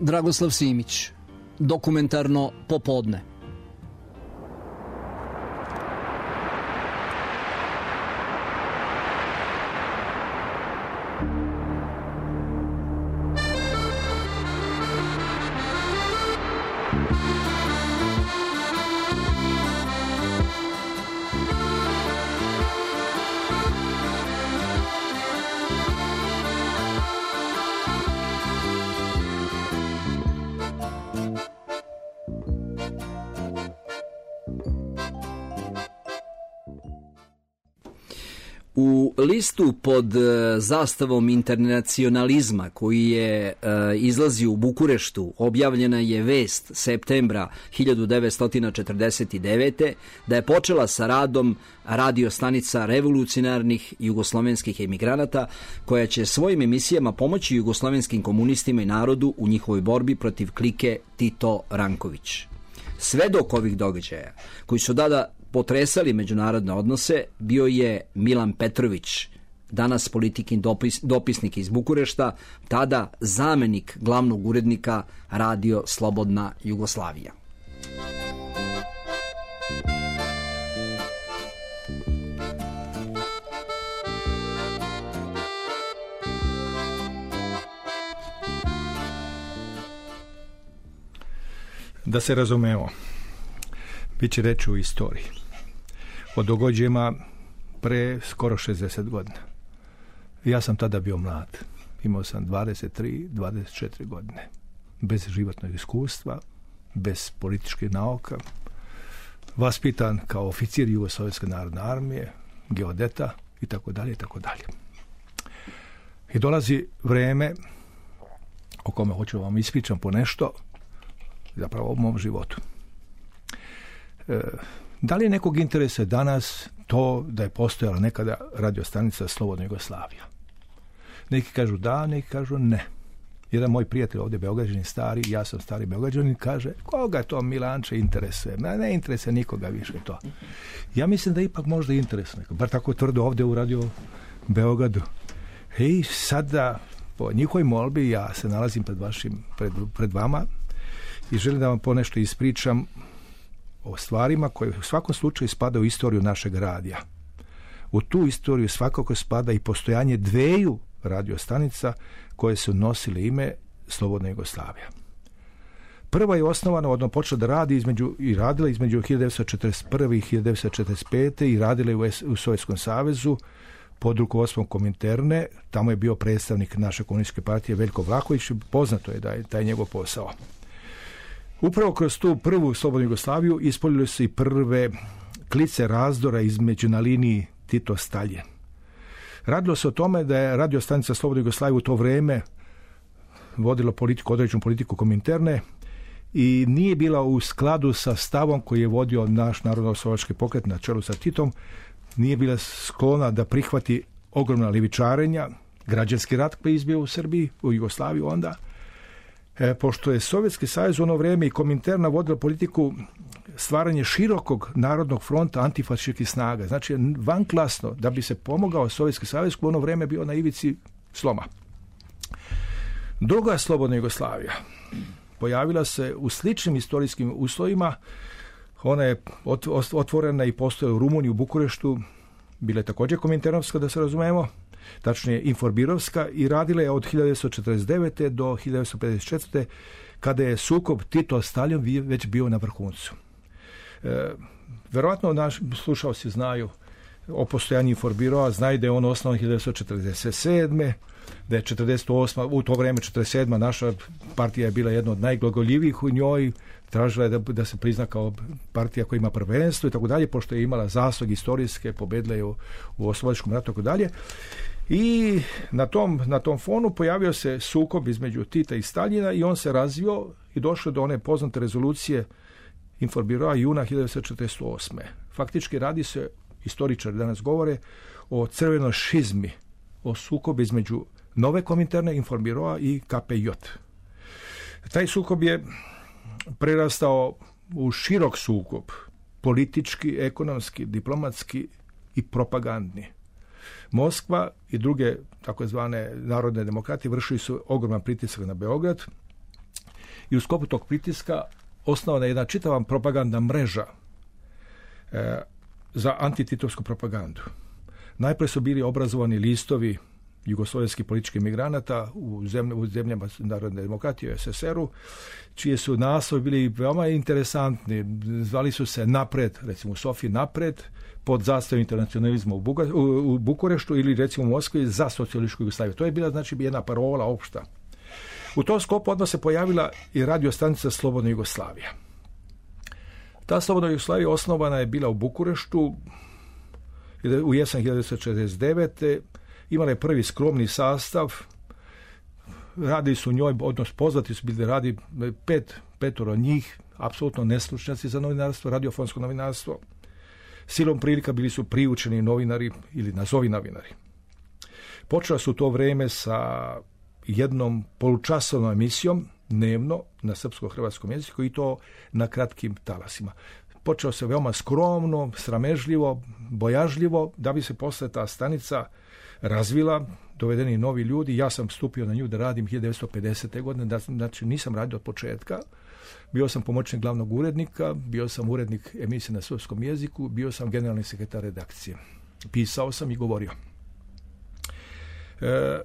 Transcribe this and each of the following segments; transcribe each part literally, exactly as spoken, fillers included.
Dragoslav Simić, Dokumentarno popodne. U listu pod zastavom internacionalizma koji je izlazio u Bukureštu objavljena je vest septembra hiljadu devetsto četrdeset devete. da je počela sa radom radio stanica revolucionarnih jugoslovenskih emigranata koja će svojim emisijama pomoći jugoslovenskim komunistima i narodu u njihovoj borbi protiv klike Tito Ranković. Svedok ovih događaja koji su tada potresali međunarodne odnose bio je Milan Petrović, danas politikin dopis, dopisnik iz Bukurešta, tada zamenik glavnog urednika Radio Slobodna Jugoslavija. Da se razumemo, bit će reći u istoriji o događajima pre skoro šezdeset godina. Ja sam tada bio mlad. Imao sam dvadeset tri dvadeset četiri godine. Bez životnog iskustva, bez političkih nauka, vaspitan kao oficir Jugoslovenske narodne armije, geodeta i tako dalje i tako dalje. I dolazi vreme o kome hoću vam ispričam po nešto, zapravo o mom životu. E, da li je nekog interesa danas to da je postojala nekada radiostanica Slobodna Jugoslavija? Neki kažu da, neki kažu ne. Jedan moj prijatelj ovdje Beograđanin stari, ja sam stari Beograđanin, kaže koga to Milanče interesuje? Ne, ne interesuje nikoga više to. Ja mislim da ipak možda interesuje. Bar tako tvrdo ovdje u Radio Beogradu. I sada po njihovoj molbi ja se nalazim pred, vašim, pred, pred vama i želim da vam ponešto ispričam o stvarima koje u svakom slučaju spada u istoriju našeg radija. U tu istoriju svakako spada i postojanje dveju radiostanica koje su nosile ime Slobodna Jugoslavija. Prva je osnovana, odnosno počela da radi između, i radila između hiljadu devetsto četrdeset prve i hiljadu devetsto četrdeset pete i radila je u, u Sovjetskom savezu pod rukovodstvom Kominterne. Tamo je bio predstavnik naše komunističke partije Veljko Vlahović. Poznato je da je taj njegov posao. Upravo kroz tu prvu Slobodnu Jugoslaviju ispoljile su i prve klice razdora između na liniji Tito-Stalin. Radilo se o tome da je radiostanica Slobodna Jugoslavija u to vrijeme vodila politiku, određenu politiku Kominterne i nije bila u skladu sa stavom koji je vodio naš narodno-oslobodački pokret na čelu sa Titom, nije bila sklona da prihvati ogromna levičarenja, građanski rat koji je izbio u Srbiji, u Jugoslaviji onda, e, pošto je Sovjetski savez u ono vrijeme i Kominterna vodila politiku stvaranje širokog narodnog fronta antifašističkih snaga. Znači, vanklasno, da bi se pomogao Sovjetski savez koji u ono vrijeme bio na ivici sloma. Druga Slobodna Jugoslavija pojavila se u sličnim istorijskim uslovima. Ona je otvorena i postoje u Rumuniji, u Bukureštu, bila je također kominternovska, da se razumemo, tačnije inforbirovska, i radila je od hiljadu devetsto četrdeset devete do hiljadu devetsto pedeset četvrte kada je sukob Tito-Stalin već bio na vrhuncu. E, verovatno naši slušalci znaju o postojanju Inforbirova, znaju da je on osnovan hiljadu devetsto četrdeset sedme da je četrdeset osme u to vrijeme četrdeset sedma naša partija je bila jedna od najglagoljivijih u njoj, tražila je da, da se prizna kao partija koja ima prvenstvo i tako dalje, pošto je imala zasluge istorijske, pobedila je u, u oslobodilačkom ratu i tako dalje. I na tom, na tom fonu pojavio se sukob između Tita i Staljina i on se razvio i došao do one poznate rezolucije Inforbirova juna hiljadu devetsto četrdeset osme Faktički radi se, istoričari danas govore, o crvenoj šizmi, o sukobu između nove Kominterne, Inforbirova i K P J. Taj sukob je prerastao u širok sukob, politički, ekonomski, diplomatski i propagandni. Moskva i druge takozvane narodne demokratije vršili su ogroman pritisak na Beograd i u sklopu tog pritiska osnovana je jedna čitava propagandna mreža e, za antititovsku propagandu. Najprije su bili obrazovani listovi jugoslovenskih političkih migranata u, zemlj, u zemljama narodne demokratije, u es es eru, čije su naslovi bili veoma interesantni. Zvali su se Napred, recimo u Sofiji Napred, pod zastavom internacionalizma u, Buga, u, u Bukureštu, ili recimo u Moskvi za socijalističku Jugoslaviju. To je bila znači jedna parola opšta. U tom sklopu odmah se pojavila i radio stanica Slobodna Jugoslavija. Ta Slobodna Jugoslavija osnovana je bila u Bukureštu u jesen hiljadu devetsto četrdeset devete. Imala je prvi skromni sastav, radili su u njoj, odnosno poznati su bili, radi pet, petoro njih, apsolutno nestručnjaci za novinarstvo, radiofonsko novinarstvo. Silom prilika bili su priučeni novinari ili nazovi novinari. Počela su to vreme sa jednom polučasovnom emisijom dnevno na srpsko-hrvatskom jeziku i to na kratkim talasima. Počelo se veoma skromno, sramežljivo, bojažljivo, da bi se posle ta stanica razvila, dovedeni novi ljudi. Ja sam stupio na nju da radim hiljadu devetsto pedesete. godine, da, znači nisam radio od početka. Bio sam pomoćnik glavnog urednika, bio sam urednik emisije na srpskom jeziku, bio sam generalni sekretar redakcije. Pisao sam i govorio. E,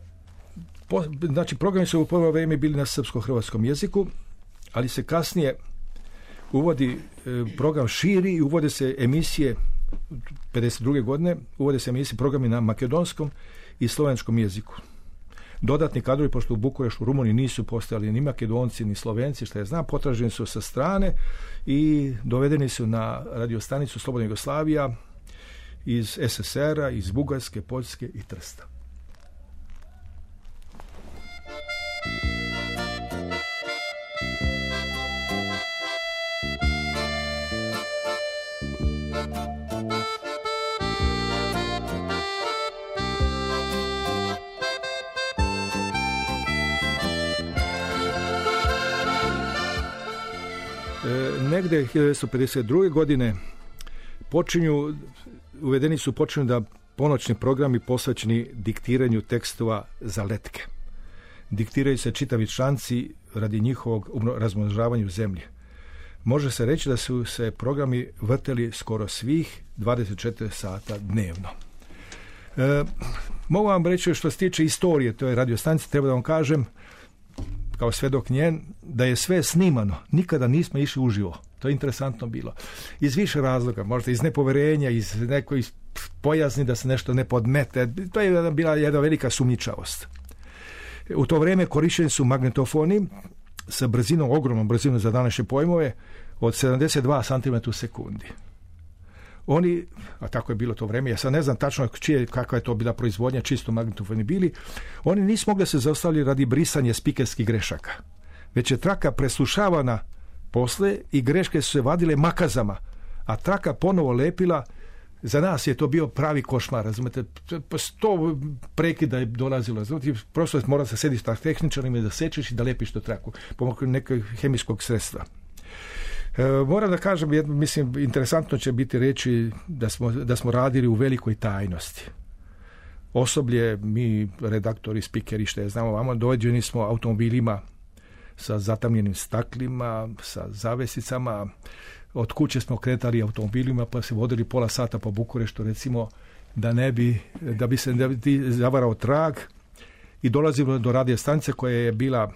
po, znači, programi su u prvo vrijeme bili na srpsko-hrvatskom jeziku, ali se kasnije uvodi e, program širi i uvode se emisije pedeset druge. godine, uvode se emisije programi na makedonskom i slovenskom jeziku. Dodatni kadrovi, pošto u Bukureštu u Rumuniji nisu postojali ni Makedonci ni Slovenci, što je znam, potraženi su sa strane i dovedeni su na radiostanicu Slobodna Jugoslavija iz es es era, iz Bugarske, Poljske i Trsta. Negde hiljadu devetsto pedeset druge. godine počinju, uvedeni su počinju da ponoćni programi posvećeni diktiranju tekstova za letke. Diktiraju se čitavi članci radi njihovog razmnožavanja u zemlji. Može se reći da su se programi vrteli skoro svih dvadeset četiri sata dnevno. E, mogu vam reći što se tiče istorije toj radiostanici, treba da vam kažem, kao svedok njen, da je sve snimano. Nikada nismo išli uživo. To je interesantno bilo. Iz više razloga, možda iz nepoverenja, iz nekoj bojazni da se nešto ne podmete. To je bila jedna velika sumnjičavost. U to vrijeme korišteni su magnetofoni sa brzinom, ogromnom brzinom za današnje pojmove, od sedamdeset dva centimetra u sekundi. Oni, a tako je bilo to vrijeme, ja sad ne znam tačno čije, kakva je to bila proizvodnja, čisto magnetofoni bili, oni nisu mogli se zaustaviti radi brisanja spikerskih grešaka. Već je traka preslušavana posle i greške su se vadile makazama, a traka ponovo lepila. Za nas je to bio pravi košmar, razumete, sto prekida je dolazilo, razumete, prosto mora se sediš sa tehničarima da sečeš i da lepiš to traku, pomoću nekog hemijskog sredstva. E, moram da kažem, mislim, interesantno će biti reći da smo, da smo radili u velikoj tajnosti. Osoblje, mi, redaktori, spikeri, što je znamo vamo, dođeni smo automobilima sa zatamljenim staklima, sa zavesicama. Od kuće smo kretali automobilima pa se vodili pola sata po Bukureštu, recimo, da ne bi, da bi se da bi zavarao trag, i dolazimo do radio stanice koja je bila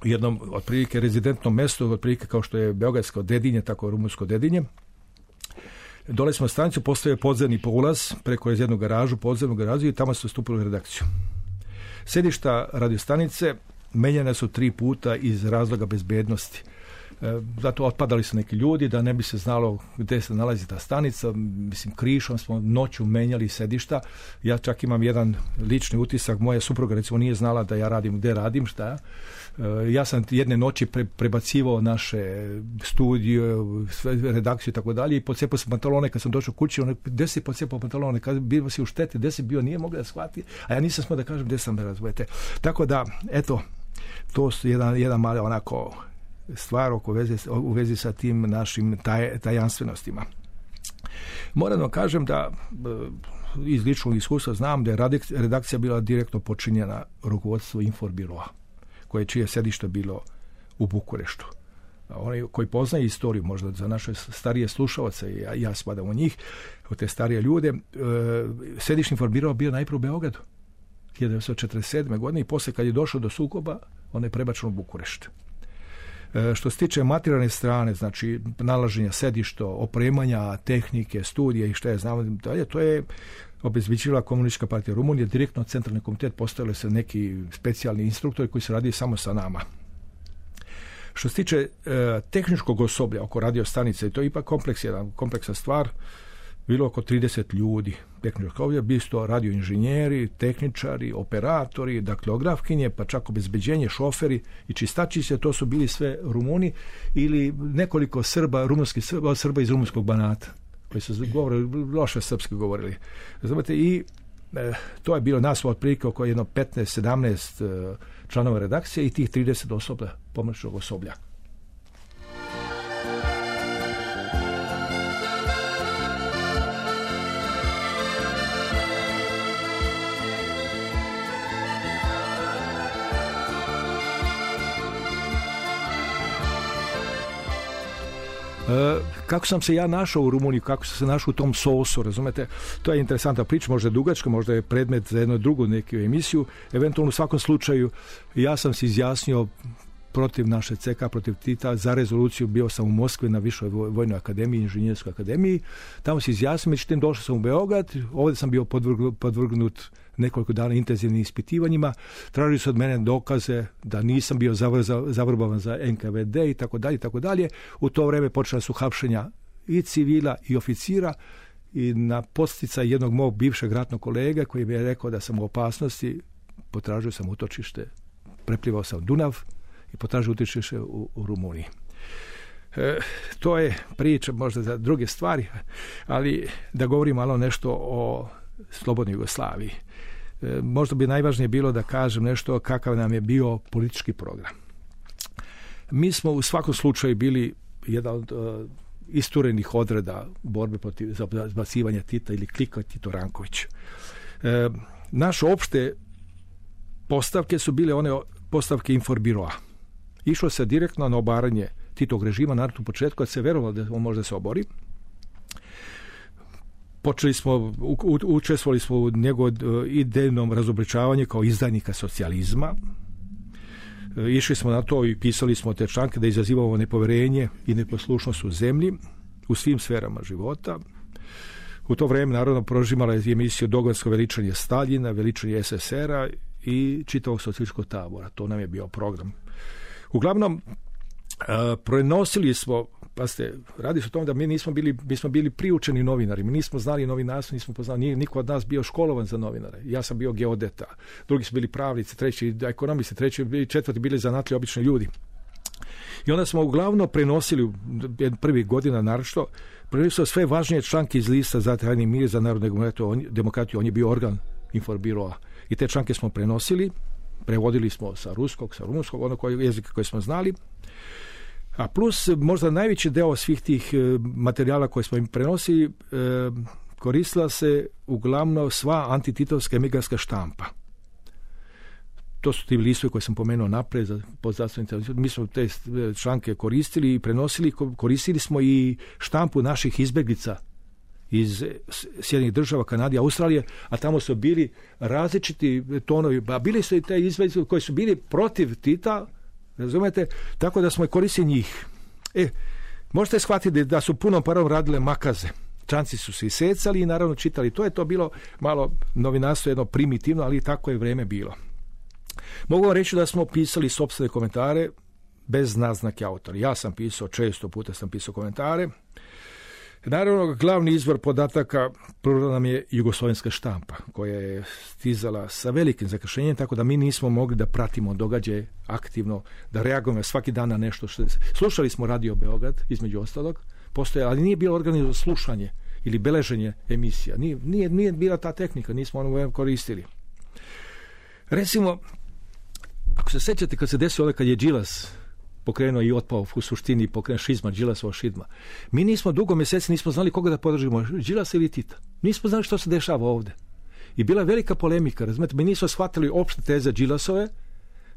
u jednom otprilike rezidentnom mjestu, otprilike kao što je beogradsko Dedinje, tako je rumunsko Dedinje. Dole smo stanicu, postoje podzemni ulaz preko jednu garažu, podzemnu garažu, i tamo smo stupili u redakciju. Sedišta radiostanice menjane su tri puta iz razloga bezbednosti. E, zato otpadali su neki ljudi da ne bi se znalo gdje se nalazi ta stanica. Mislim, krišom smo noću menjali sedišta. Ja čak imam jedan lični utisak, moja supruga recimo nije znala da ja radim gdje radim, šta. E, ja sam jedne noći pre, prebacivao naše studije, redakciju i tako dalje, i pocepao sam pantalone kad sam došao kući. Ono, gdje si pocepao pantalone? Kad bio si u šteti, gdje si bio? Nije mogla da shvati, a ja nisam smio da kažem gdje sam, razumete. Tako da, eto, to su jedan, jedan mali onako stvar u vezi, u vezi sa tim našim taj, tajanstvenostima. Moram da kažem da iz ličnog iskustva znam da je redakcija bila direktno počinjena rukovodstvo Inforbiroa, koje čije sedište bilo u Bukureštu. Oni koji poznaju istoriju, možda za naše starije slušalce, ja, ja spadam u njih, u te starije ljude, e, središnji informbiro bio najprije u Beogradu hiljadu devetsto četrdeset sedme. godine i poslije kad je došao do sukoba, on je prebačen u Bukurešt. E, što se tiče materijalne strane, znači nalaženja sedišta, opremanja, tehnike, studije i što je znamo dalje, to je obezbeđivala Komunistička partija Rumunije, direktno centralni komitet postavili se neki specijalni instruktori koji se radi samo sa nama. Što se tiče e, tehničkog osoblja oko radio stanice, to je ipak kompleks, jedan kompleksna stvar, bilo oko trideset ljudi tehničkog osoblja, bili su to radioinženjeri, tehničari, operatori, daktilografkinje, pa čak obezbeđenje, šoferi i čistačice, to su bili sve Rumuni ili nekoliko Srba, rumunskih Srba, Srba iz rumunskog Banata, koji su govorili, loše srpski govorili. Znate, i e, to je bilo nas otprilike oko jedno petnaest sedamnaest e, članova redakcije i tih trideset osoblja, pomoćnog osoblja. E, kako sam se ja našao u Rumuniji, kako sam se našao u tom sosu, razumete, to je interesantna priča, možda je dugačka, možda je predmet za jednu drugu neku emisiju, eventualno u svakom slučaju ja sam se izjasnio protiv naše C K, protiv Tita, za rezoluciju, bio sam u Moskvi na Višoj vojnoj akademiji, inženjerskoj akademiji, tamo se izjasnio, međutim došao sam u Beograd, ovdje sam bio podvrgnut, podvrgnut nekoliko dana intenzivnim ispitivanjima, tražili su od mene dokaze da nisam bio zavrbovan za N K V D i tako dalje i tako dalje. U to vrijeme počela su hapšenja i civila i oficira i na posticaj jednog mog bivšeg ratnog kolega koji mi je rekao da sam u opasnosti, potražio sam utočište, preplivao sam Dunav i potražio utočište u, u Rumuniji. E, to je priča možda za druge stvari, ali da govorim malo nešto o slobodnoj Jugoslaviji. E, možda bi najvažnije bilo da kažem nešto kakav nam je bio politički program. Mi smo u svakom slučaju bili jedan od uh, isturenih odreda borbe protiv zbacivanja Tita ili klika Tito Ranković. E, naše opšte postavke su bile one postavke Informbiroa. Išlo se direktno na obaranje Titovog režima, naravno u početku kad se verovalo da on može da se obori. Počeli smo, u, u, učestvovali smo u njegovom idejnom razobličavanju kao izdajnika socijalizma. E, išli smo na to i pisali smo te članke da izazivamo nepoverenje i neposlušnost u zemlji, u svim sferama života. U to vrijeme naravno prožimala je emisiju Dogonsko veličanje Staljina, veličanje S S R-a i čitavog socijalističkog tabora. To nam je bio program. Uglavnom, uh, prenosili smo, pa ste, radi se o tom da mi nismo bili, mi smo bili priučeni novinari, mi nismo znali novinarstvo, nismo poznali, nije niko od nas bio školovan za novinare. Ja sam bio geodeta, drugi su bili pravnici, treći ekonomisti, treći i četvrti bili zanatlji obični ljudi. I onda smo uglavnom prenosili, prvih godina naročito, prenosili sve važnije članke iz lista za trajni mir, za narodnu demokratiju, on je bio organ Informbiroa. I te članke smo prenosili, prevodili smo sa ruskog, sa rumunskog, ono koji jezika koji smo znali. A plus, možda najveći deo svih tih materijala koje smo im prenosili, koristila se uglavnom sva antititovska emigrantska štampa. To su ti listovi koje sam pomenuo napred za podzastavnice. Mi smo te članke koristili i prenosili, koristili smo i štampu naših izbjeglica iz Sjedinjenih država, Kanade, Australije, a tamo su bili različiti tonovi, a bili su i te izbjeglice koji su bili protiv Tita, razumete, tako da smo i koristili njih. E, možete shvatiti da su punom parom radile makaze. Članci su se isecali i naravno čitali. To je to bilo malo novinarstvo, jedno primitivno, ali tako je vrijeme bilo. Mogu vam reći da smo pisali sopstvene komentare bez naznake autora. Ja sam pisao, često puta sam pisao komentare. Naravno, glavni izvor podataka prvo nam je jugoslovenska štampa, koja je stizala sa velikim zakašnjenjem, tako da mi nismo mogli da pratimo događaje aktivno, da reagujemo svaki dan na nešto. Što... Slušali smo Radio Beograd, između ostalog, postoje, ali nije bilo organizovano slušanje ili beleženje emisija. Nije, nije, nije bila ta tehnika, nismo ono koristili. Recimo, ako se sećate kad se desilo ovdje kad je Đilas pokrenuo i otpao u suštini pokrenuo šizma, Đilasova šizma. Mi nismo dugo mjeseci nismo znali koga da podržimo, Đilasa ili Tita. Nismo znali što se dešava ovdje. I bila velika polemika, razumete, mi nismo shvatili opšte teze Đilasove,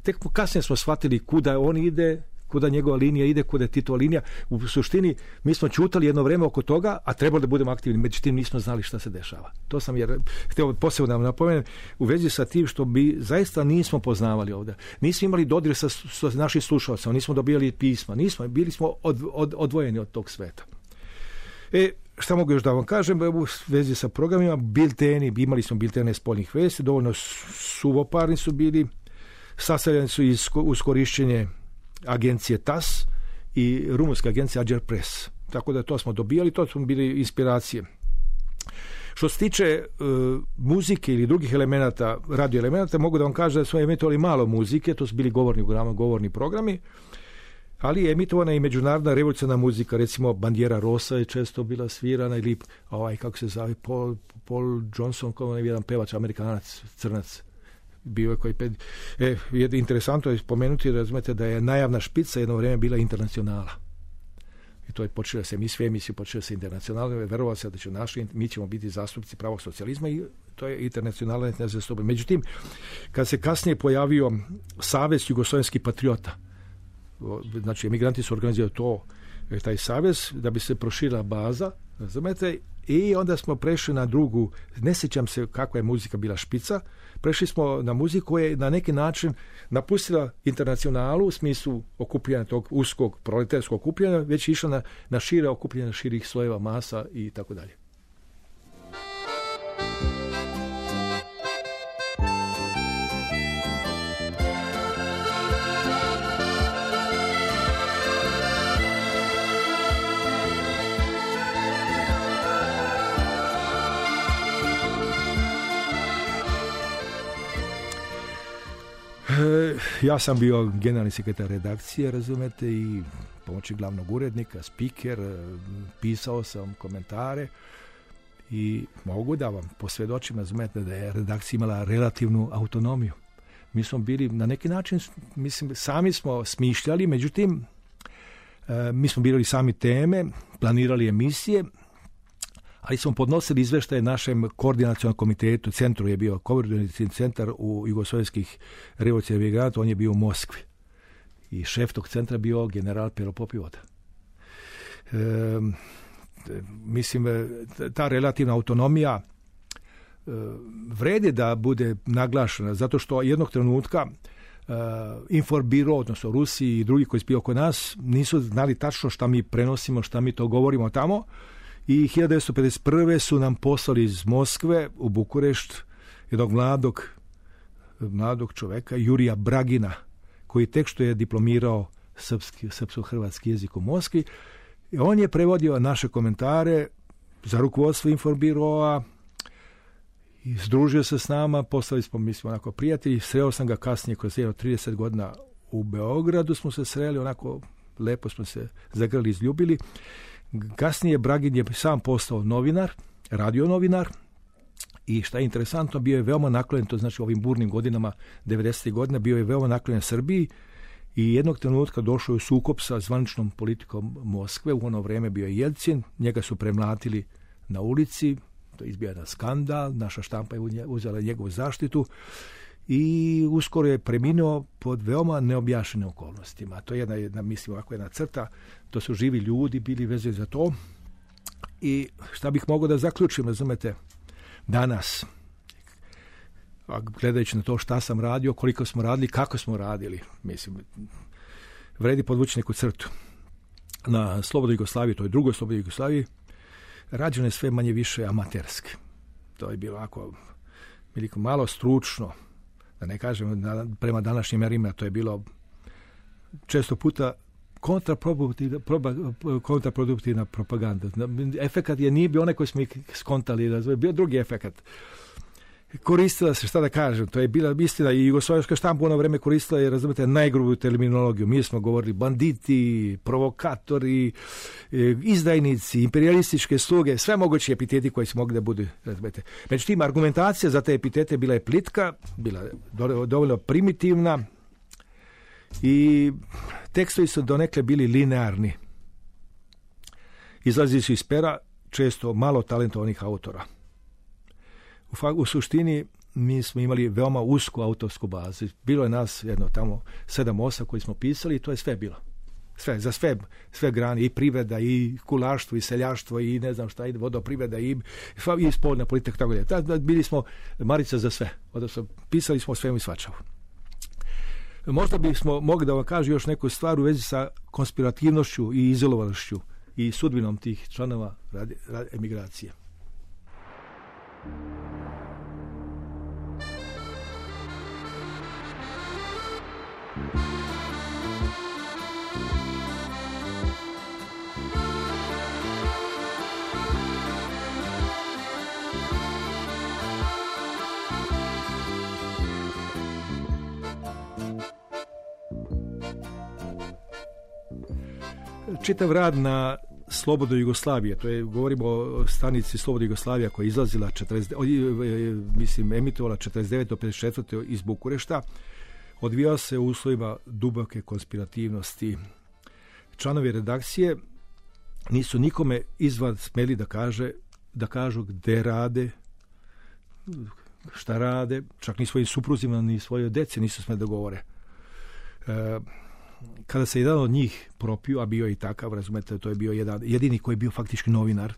tek kasnije smo shvatili kuda on ide, kuda njegova linija ide, kuda je Titova linija. U suštini mi smo čutali jedno vreme oko toga, a trebalo da budemo aktivni, međutim nismo znali šta se dešava. To sam jer htio posebno da vam napomenem u vezi sa tim što bi zaista nismo poznavali ovdje. Nismo imali dodir sa, sa naših slušalca, nismo dobijali pisma, nismo, bili smo od, od, odvojeni od tog sveta. E, šta mogu još da vam kažem u vezi sa programima, bilteni, imali smo biltene spoljnih vesti, dovoljno suvoparni su bili, sastavljeni su iz, uz korišćenje agencije T A S i rumunske agencije Agerpress. Tako da to smo dobijali, to su bili inspiracije. Što se tiče uh, muzike ili drugih elemenata, radio elemenata, mogu da vam kažem da smo emitovali malo muzike, to su bili govorni programi, govorni programi, ali je emitovana i međunarodna revolucionarna muzika, recimo Bandiera Rosa je često bila svirana, ili ovaj, kako se zove, Paul, Paul Johnson, kao jedan pevač, Amerikanac, crnac, bio je koji pet... E, je interesantno je spomenuti, razumete, da je najavna špica jedno vrijeme bila Internacionala. I to je počelo se, mi sve emisije počelo se Internacionalno, verovalo se da će naši, mi ćemo biti zastupnici pravog socijalizma i to je Internacionalna nezastupa. Međutim, kad se kasnije pojavio Savez jugoslovenskih patriota, znači emigranti su organizirali to, taj savez, da bi se proširila baza, razumete, i onda smo prešli na drugu, ne sjećam se kakva je muzika bila špica, prešli smo na muziku koja je na neki način napustila Internacionalu u smislu okupljanja tog uskog proletarskog okupljanja, već išla na, na šire okupljanja širih slojeva masa i tako dalje. Ja sam bio generalni sekretar redakcije, razumete, i pomoćnik glavnog urednika, spiker, pisao sam komentare i mogu da vam posvjedočim, razumete, da je redakcija imala relativnu autonomiju. Mi smo bili na neki način, mislim, sami smo smišljali, međutim, mi smo birali sami teme, planirali emisije, ali smo podnosili izveštaje našem koordinacionalnom komitetu, centru je bio koordinacijski centar u jugoslovenskih revolucionarnih emigranata, on je bio u Moskvi. I šef tog centra bio general Pero Popivoda. E, mislim, ta relativna autonomija e, vredi da bude naglašena, zato što jednog trenutka e, Inforbiro, odnosno Rusiji i drugi koji su bio oko nas, nisu znali tačno šta mi prenosimo, šta mi to govorimo tamo. I hiljadu devetsto pedeset prve su nam poslali iz Moskve u Bukurešt jednog mladog, mladog čoveka, Jurija Bragina, koji tek što je diplomirao srpski, srpsko-hrvatski jezik u Moskvi. I on je prevodio naše komentare za rukovodstvo Inforbiroa i združio se s nama, postali smo, mi smo onako prijatelji, sreo sam ga kasnije kroz jedno trideset godina u Beogradu, smo se sreli, onako lepo smo se zagrali, izljubili. Kasnije Bragin je sam postao novinar, radio novinar, i šta je interesantno, bio je veoma naklonjen, to znači u ovim burnim godinama devedesetih godina, bio je veoma naklonjen Srbiji i jednog trenutka došao je u sukob sa zvaničnom politikom Moskve. U ono vrijeme bio je Jelcin, njega su premlatili na ulici, to je izbio jedan skandal, naša štampa je uzela njegovu zaštitu i uskoro je preminuo pod veoma neobjašnjenim okolnostima. To je jedna, jedna, mislim, ovako jedna crta, to su živi ljudi bili vezani za to. I šta bih mogao da zaključim, razumete, danas, gledajući na to šta sam radio, koliko smo radili, kako smo radili, mislim, vredi podvući neku crtu. Na Slobodnoj Jugoslaviji, to je drugoj Slobodnoj Jugoslaviji, rađeno je sve manje više amaterski. To je bilo ovako malo stručno, da ne kažem prema današnjim mjerima, to je bilo često puta kontraproduktivna, kontraproduktivna propaganda. Efekat je nije bio onaj koji smo ih skontali, bio drugi efekat. Koristila se, šta da kažem, to je bila istina i jugoslovenska štampa u ono vreme koristila je, razumete, najgrublju terminologiju. Mi smo govorili banditi, provokatori, izdajnici, imperialističke sluge, sve moguće epiteti koji su mogli da budu, razumete. Međutim, argumentacija za te epitete bila je plitka, bila je dovoljno primitivna i tekstovi su donekle bili linearni. Izlazili su iz pera često malo talentovanih autora. U, u suštini mi smo imali veoma usku autorsku bazu. Bilo je nas jedno tamo sedam osam koji smo pisali i to je sve bilo. Sve, za sve, sve grane, i privreda, i kulaštvo, i seljaštvo, i ne znam šta, i vodoprivreda, i, i spoljna politika, tako da. Tad bili smo Marica za sve, odnosno pisali smo svemu i svačemu. Možda bismo mogli da vam kažem još neku stvar u vezi sa konspirativnošću i izolovanošću i sudbinom tih članova radi, radi, emigracije. Čitav rad na Slobodnoj Jugoslavije, to je, govorimo o stanici Slobodna Jugoslavija koja je izlazila četrdeset, mislim, emitovala četrdeset devete do pedeset četvrte iz Bukurešta, odvijao se u uslovima duboke konspirativnosti. Članovi redakcije nisu nikome izvan smeli da kaže, da kažu gde rade, šta rade, čak ni svojim supruzima ni svojoj deci nisu smeli da govore. E, kada se jedan od njih propio, a bio i takav, razumete, to je bio jedan, jedini koji je bio faktički novinar,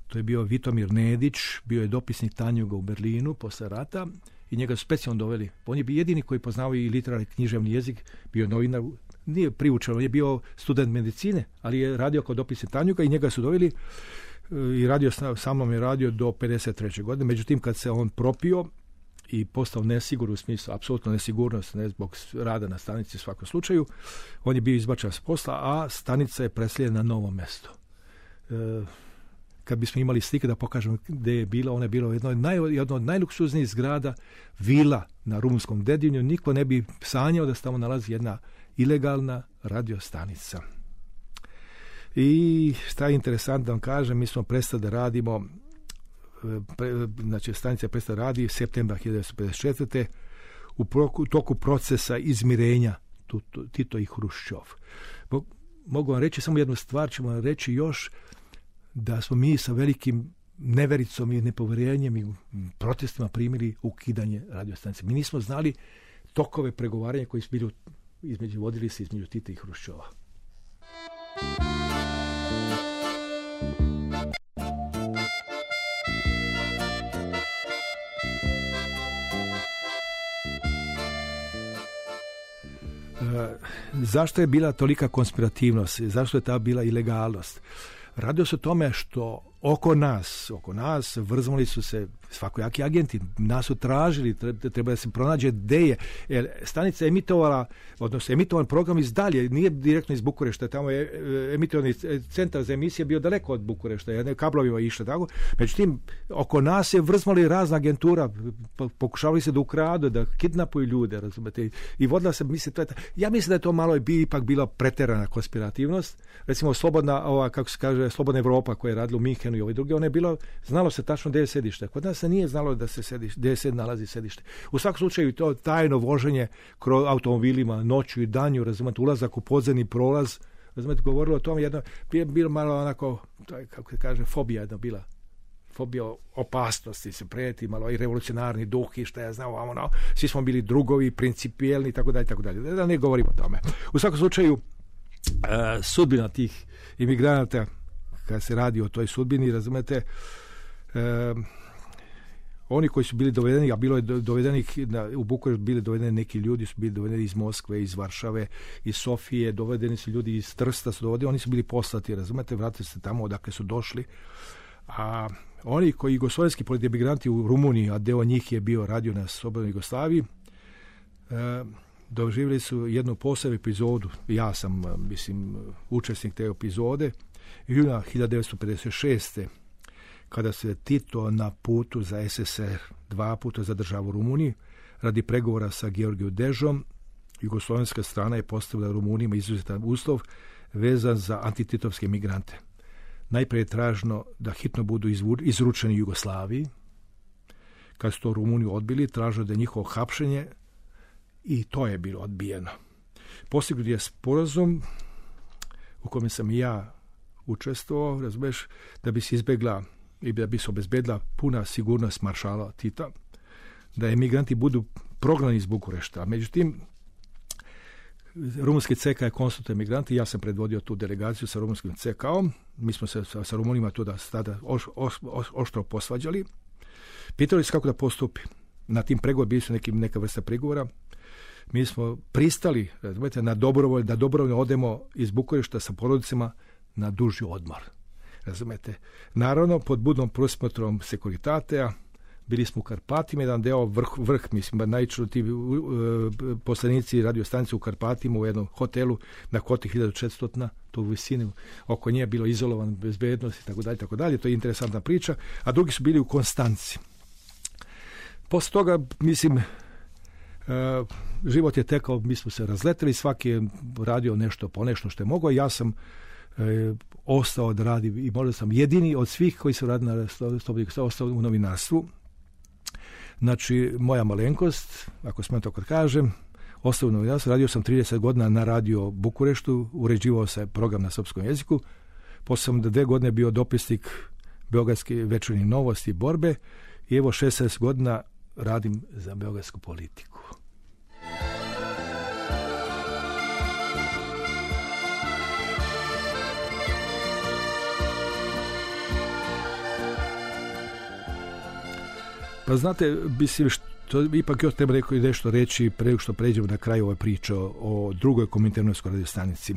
to je bio Vitomir Nedić, bio je dopisnik Tanjuga u Berlinu posle rata i njega su specijalno doveli. On je bio jedini koji poznao i literarni književni jezik, bio novinar, nije priučen, on je bio student medicine, ali je radio kao dopisnik Tanjuga i njega su doveli i radio sa mnom je radio do pedeset treće godine. Međutim, kad se on propio i postao nesigur u smislu, apsolutno nesigurnost, ne zbog rada na stanici u svakom slučaju, on je bio izbačen s posla, a stanica je preseljena na novo mesto. E, kad bismo imali slike da pokažemo gde je bila, ona je bila jedno od, naj, jedno od najluksuznijih zgrada, vila na Rumunskom Dedinju, niko ne bi sanjao da se tamo nalazi jedna ilegalna radiostanica. I šta je interesantno da vam kažem, mi smo prestali da radimo, pre, znači stanica prestala radi septembra hiljadu devetsto pedeset četvrte u proku, toku procesa izmirenja Tito i Hruščov. Mogu vam reći samo jednu stvar, ćemo vam reći još da smo mi sa velikim nevericom i nepoverenjem i protestima primili ukidanje radiostanice. Mi nismo znali tokove pregovaranja koji su bili između, vodili se između Tita i Hruščova. Zašto je bila tolika konspirativnost? Zašto je ta bila ilegalnost? Radio se o tome što oko nas, oko nas vrzmali su se svakojaki agenti, nas su tražili, treba da se pronađe gde je. Jer stanica je emitovala, odnosno emitovan program iz dalje, nije direktno iz Bukurešta, tamo je emitovani centar za emisije bio daleko od Bukurešta, jedne kablovima išle tako. Međutim, oko nas je vrzmali razna agentura, pokušavali se da ukradu, da kidnapuju ljude, razumete, i vodila se, mislim, to je, ja mislim da je to malo bi ipak bila preterana konspirativnost. Recimo, slobodna, ova, kako se kaže, Slobodna Evropa koja je radila u Minhenu i ove druge, ona je bilo, znalo se tačno gde je sedište. Kod nas se nije znalo da se sedište, gde se nalazi sedište. U svakom slučaju to tajno voženje kroz automobilima noću i danju, razumete, ulazak u podzemni prolaz, razumete, govorilo o tome jedno, bilo malo onako, kako se kaže, fobija jedna bila. Fobija opasnosti se preti, malo i revolucionarni duh i šta ja znam, ono, svi smo bili drugovi, principijelni i tako dalje, tako dalje. Da ne govorimo o tome. U svakom slučaju, uh, sudbina tih imigranata, kad se radi o toj sudbini, razumete, e, oni koji su bili dovedeni, a bilo je dovedenih na, u Bukurešt bili dovedeni neki ljudi, su bili dovedeni iz Moskve, iz Varšave, iz Sofije, dovedeni su ljudi iz Trsta, su dovedeni, oni su bili poslati, razumete, vratili se tamo odakle su došli. A oni koji jugoslovenski emigranti u Rumuniji, a deo njih je bio radio na Slobodnoj Jugoslaviji, e, doživjeli su jednu posebnu epizodu. Ja sam, mislim, učesnik te epizode. Juna hiljadu devetsto pedeset šeste kada se Tito na putu za es es er dva puta zadržava u Rumuniji radi pregovora sa Georgijom Dežom, jugoslovenska strana je postavila Rumunijima izuzetan uslov vezan za antititovske migrante. Najprije je traženo da hitno budu izručeni Jugoslaviji. Kad su to Rumuniju odbili, tražilo da je njihovo hapšenje i to je bilo odbijeno. Postignut je sporazum u kome sam i ja učestvovao, razumeš, da bi se izbegla i da bi se obezbedila puna sigurnost maršala Tita, da emigranti budu prognani iz Bukurešta. Međutim, rumunski C K je konstitutivni migranti, ja sam predvodio tu delegaciju sa rumunskim C K-om, mi smo se sa, sa Rumunima tu da tada oš, oš, oš, oštro posvađali, pitali se kako da postupi. Na tim pregovor bili su neki, neka vrsta pregovora. Mi smo pristali, razumete, na dobrovoljno, da dobrovoljno odemo iz Bukurešta sa porodicama na duži odmor. Razumete? Naravno, pod budnom prosmotrom Sekuritatea, bili smo u Karpatima, jedan deo vrh, vrh mislim, najčešće ti uh, poslanici radio stanice u Karpatima u jednom hotelu na koti hiljadu četiristo, to u visini, oko nje je bilo izolovan, bezbednost i tako dalje, tako dalje, to je interesantna priča, a drugi su bili u Konstanci. Posle toga, mislim, Uh, život je tekao, mi smo se razleteli, svaki je radio nešto po nešto što je mogao, ja sam uh, ostao da radim i možda sam jedini od svih koji su radili na Slobodnoj ostao u novinarstvu. Znači, moja malenkost, ako smijem tako da kažem, ostao u novinarstvu, radio sam trideset godina na radio Bukureštu, uređivao se program na srpskom jeziku, posle sam da dve godine bio dopisnik Beogradske večernje novosti i borbe i evo šesnaest godina radim za beogradsku politiku. Pa znate, mislim, što, ipak još treba nešto reći pre što pređemo na kraju ove priče o drugoj kominternovskoj radiostanici.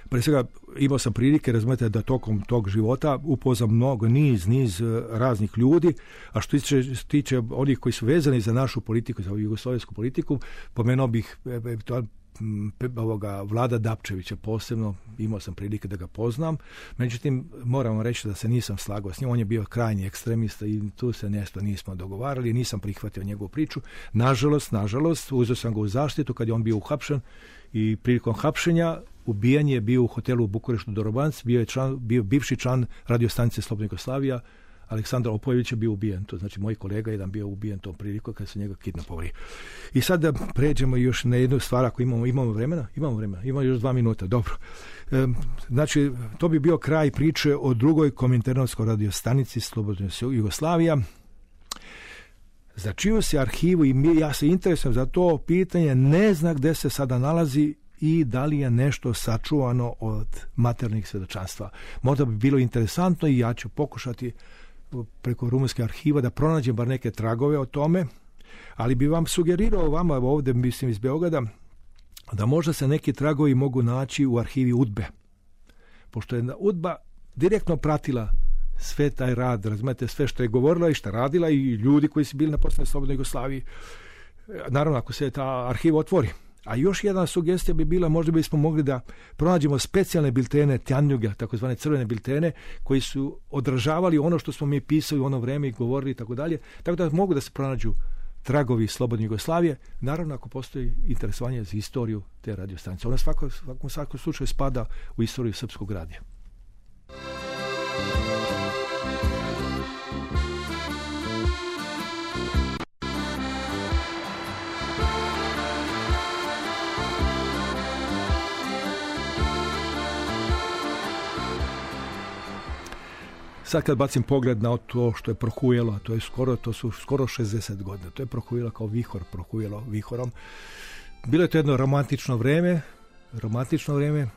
Pre svega, imao sam prilike, razumete, da tokom tog života upoznam mnogo, niz, niz raznih ljudi, a što tiče, tiče onih koji su vezani za našu politiku, za jugoslovensku politiku, pomenuo bih to, ovoga Vlada Dapčevića posebno, imao sam prilike da ga poznam, međutim, moram reći da se nisam slagao s njim, on je bio krajnji ekstremista i tu se nešto nismo dogovarali, nisam prihvatio njegovu priču. Nažalost, nažalost, uzeo sam ga u zaštitu kad je on bio uhapšen i prilikom hapšenja ubijen je bio u hotelu u Bukureštu Dorobanc, bio je član, bio bivši član radiostanice Slobodna Jugoslavija, Aleksandar Opojević je bio ubijen, to znači moj kolega jedan bio ubijen tom priliku kad su njega kidnapovali. I sad da pređemo još na jednu stvar, ako imamo, imamo vremena, imamo vremena, imamo još dva minuta, dobro. E, znači, to bi bio kraj priče o drugoj kominternovskoj radiostanici Slobodna Jugoslavija, za čiju se arhivu i mi, ja se interesujem za to pitanje, ne znam gde se sada nalazi i da li je nešto sačuvano od materijalnih svedočanstva. Možda bi bilo interesantno i ja ću pokušati preko rumunske arhiva da pronađem bar neke tragove o tome, ali bi vam sugerirao vama ovde, mislim iz Beograda, da možda se neki tragovi mogu naći u arhivi UDBE. Pošto je UDBA direktno pratila sve taj rad, razumete, sve što je govorila i što je radila i ljudi koji su bili na poslednjoj Slobodnoj Jugoslaviji. Naravno, ako se ta arhiva otvori. A još jedna sugestija bi bila, možda bismo mogli da pronađemo specijalne biltene Tjanjuga, takozvane crvene biltene, koji su odražavali ono što smo mi pisali u ono vreme i govorili i tako dalje. Tako da mogu da se pronađu tragovi Slobodne Jugoslavije, naravno ako postoji interesovanje za istoriju te radiostanice. Ona svako, svakom, svakom slučaju spada u istoriju srpskog radija. Sad kad bacim pogled na to što je prohujelo, to je skoro, to su skoro šezdeset godina, to je prohujelo kao vihor, prohujelo vihorom. Bilo je to jedno romantično vreme, romantično vreme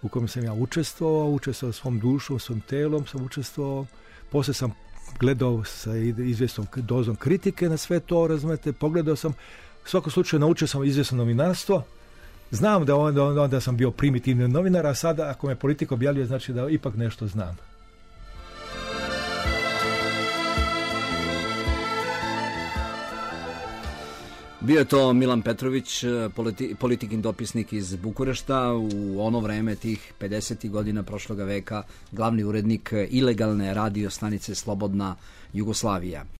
u kojem sam ja učestvovao, učestvovao svom dušom, svom telom sam učestvovao, posle sam gledao sa izvjesnom dozom kritike na sve to, razumete, pogledao sam, u svakom slučaju naučio sam izvjesno novinarstvo. Znam da onda, onda sam bio primitivni novinar, a sada ako me politika objavljuje, znači da ipak nešto znam. Bio je to Milan Petrović, politi, politikin dopisnik iz Bukurešta, u ono vreme tih pedesetih godina prošloga veka, glavni urednik ilegalne radio stanice Slobodna Jugoslavija.